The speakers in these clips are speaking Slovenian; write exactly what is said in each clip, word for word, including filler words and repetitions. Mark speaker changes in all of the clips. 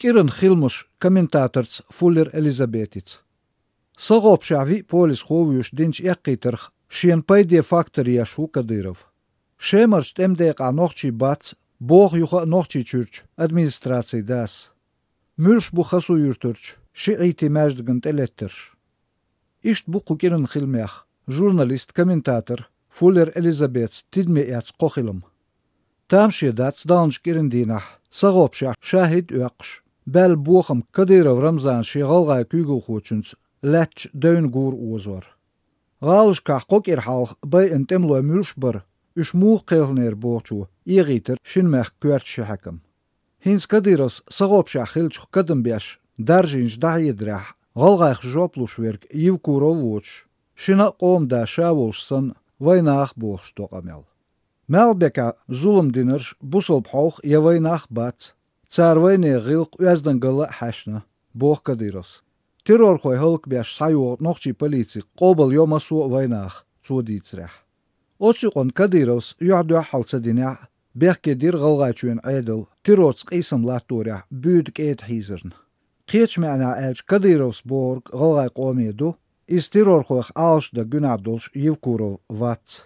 Speaker 1: Кирен хилмуш комментаторц Фуллер Элизабетиц. Сагоп шави полис ховюш динч яккитерх шен пайде фактория шу Кадыров. Шемарш темдек анохчи бац, бог юха нохчи чурч администрации дас. Мюрш бу хасу юртурч, шиити мәждігін телеттерш. Ишт бу кукирен хилмях, журналист, комментатор Фуллер Элизабетс тидме яц қохилым. Там шедац данш кирендинах, сагоп шах шахид уақш. Бәл бухам Кадыров Рамзан шиғалға күйгіл хочунц, ләтч дөйін гур уызвар. Ғалышқақ қок ерхалық бай інтемлой мүлш бір, үш муқ қелнер боқчу, иғитер шинмәқ көрт шахакым. Хинс Кадыровс сагоп шах хилчух кадым бяш, даржинш да едрах, ғалғайх жоплуш верк евкуров воч, шина қомда шаволшсан вайнақ боқш тоқамел. Мәлбека зулым динерш бусылп хаух я вайнақ бац, цар вайне ғилқ уяздан гылы хашна, боқ Кадыровс. Террор хой хылк бяш сайуғ нохчи полиции қобыл йомасу вайнақ, цудицрах. Отшиқон Кадыровс юхдуа халца диня, бяхке дир ғалғачуен айдыл, терроц қисым латуря, бүйд кейт хизерн. Қеч мәна әлч Кадыровс борг ғалғай қомеду, из террор хойх алшда гүнабдолш Евкуров вац.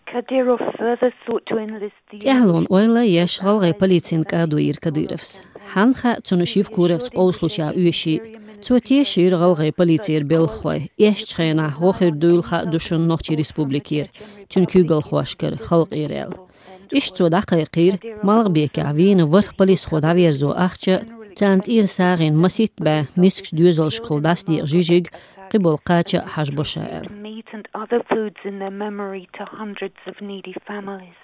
Speaker 2: Kadyrov further sought to enlist the...
Speaker 3: Тяглон ойла еш ғалғай полицин кадуир Кадыровс. Ханха цунушив куровц ослуша уеши, цуатешир ғалғай полицир белхой, еш чхайна хохир дуйлха душын нохчи республикир, чункю ғалхуашкар халқ ирел. Иш цудақай қир, малғ бека вин варх полис хода верзу ахча, цант ир сағин масит ба мискш дюзал шқылдас дир жижиг, قبل قاچا حجبوشائل.
Speaker 2: meat and other foods in their memory to hundreds of needy families.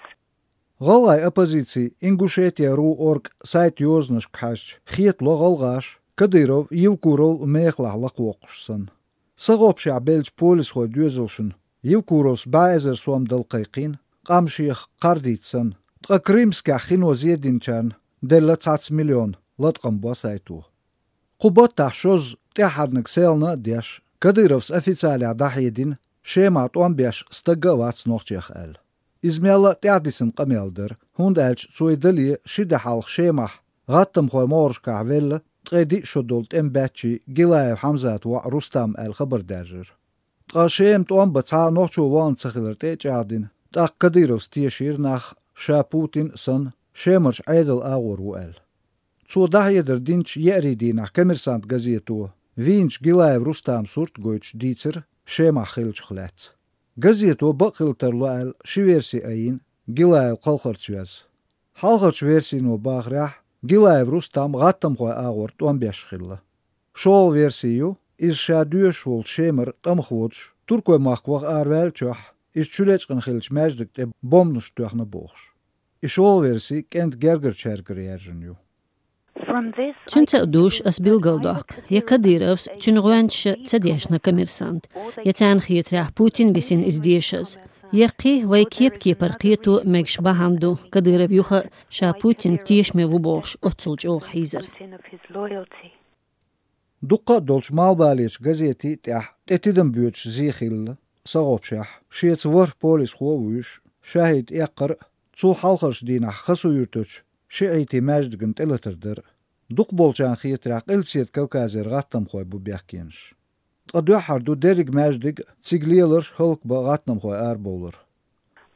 Speaker 1: غالغاي оппозиции Ингушетия ру орг сайт ёзнаш кхаш хиет ло غالغاش Кадыров Евкуров мехлах лақуақшсан. Сагоп шабелч полис хой дюзелшн Евкуровс байзер суам далқайқин қамших қардитсан. Тқа Кримска хино зединчан делла цац миллион латқам басайту. Қубат тахшоз тяхаднак селна деш Кадыровс официаля дахидин шемат он беш стагавац нохчех эл. Измела тядисен камелдер хунд элч цуйдали шида халх шемах غطم خوي مورش كعفل تقدي شدولت ام باتشي جلاي حمزات و رستم الخبر داجر تقاشيم توم بتاع نوچو وان تخلرت جادين تا Кадыровс تيشير ناخ شا بوتين سن شيمرش عيدل اغور وال цу дахедер динч يريدي ناخ كمرسانت газету винч جلاي رستم سورت گوچ ديتر شيما خيلچ خلات газету بقلترلو شيورسي اين جلاي قلخرچوز حالخرچ ورسينو باغرح Гилаев Рустам гаттам хой агор туан бешхилла. Шол версию из шадуе шол шемер там ходш туркой махвах арвелчах из чулечкан хилч мәждик те бомнуш туахна бохш. И шол версии кент гергер чергер ерженю.
Speaker 3: Чунца душ as bilgaldak. Я Кадыровс чунгуанч цадешна коммерсант. Я цанхит рах Путин бесин издешаз. يقي ويكيب كي برقيتو مكش بهاندو Кадыров يوخا شا بوتين تيشمي وبوش اتسلج او حيزر.
Speaker 1: دقا دولش مال باليش газети تح تتدم بيوتش زيخيل صغوبشح شيت ور بوليس خووش شاهد يقر تسو حلقش دينا خسو يرتوش شعيتي ماجدقن تلتردر دق بولشان خيتراق السيد كوكازر غاتم خوي بو بيحكينش تقدو حردو ديرج ماجدق تسيقليلر هلق بغاتنم خوي اربولر.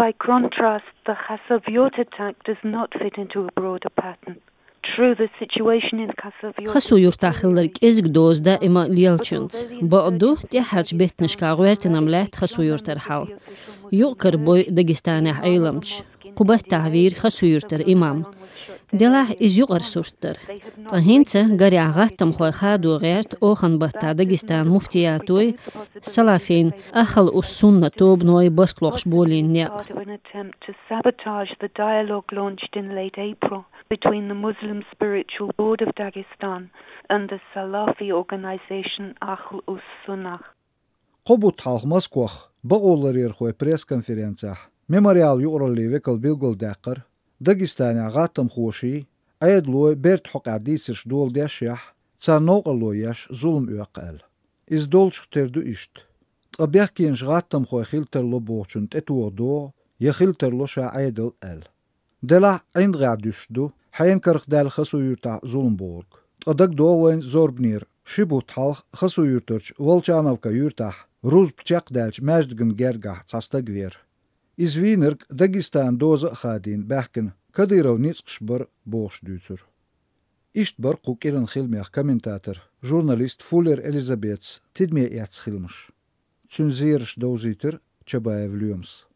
Speaker 2: By contrast, the Khasavyot attack does not fit into a broader pattern. True, the situation in Khasavyot...
Speaker 3: خسو يرتاخلرك ازق دوز دا اما ليالچنت. بعدو تي حرج بيتنش كاغويرتنم لات خسو يرترحال. يؤكر بوي داگستانح ايلمش. قبه تعوير خسو يرتر امام. دلاه از يغر سورتر. تهينسا غاري عغاتم خوي خادو غيرت اوخن بطا داگستان مفتياتوي سلافين اخل السنة توب نوي برطلوخش بولين نيال.
Speaker 2: an attempt to sabotage the dialogue launched in late April between the Muslim Spiritual Board of Dagestan and the Salafi organization Ahl us-Sunnah.
Speaker 1: قبوت حالخ مسكوخ بغولر يرخوي بريس كونفرنسيا ميموريال يورلي ويكل بيلغل داقر داگستاني غاتم خوشي ايد لوي بيرت حق عديسش دول داشيح تسا نوغلو ياش ظلم يوقال از دولش تردو اشت طبيخ كينش غاتم خوي خيلتر لو بوچن تتو دو يخيلتر لو شا عيدل ال دلا عند غادوش دو حين كرخ دال خسو يرتع ظلم بورك qadag dovain zorbnir, shibut halq xasu yurturch, Volchanovka yurtah, ruz pchaq dalch majdgan gergah castagver. Izvinirk Dagistan doza khadin behkin, Kadyrov nitsqshbar bosh dütsur. İştbar qukiran xilmiaq kommentator, jurnalist Fuller Elizabeth tidmie yats xilmish. Цунзирш doziter Чабаев Люмс.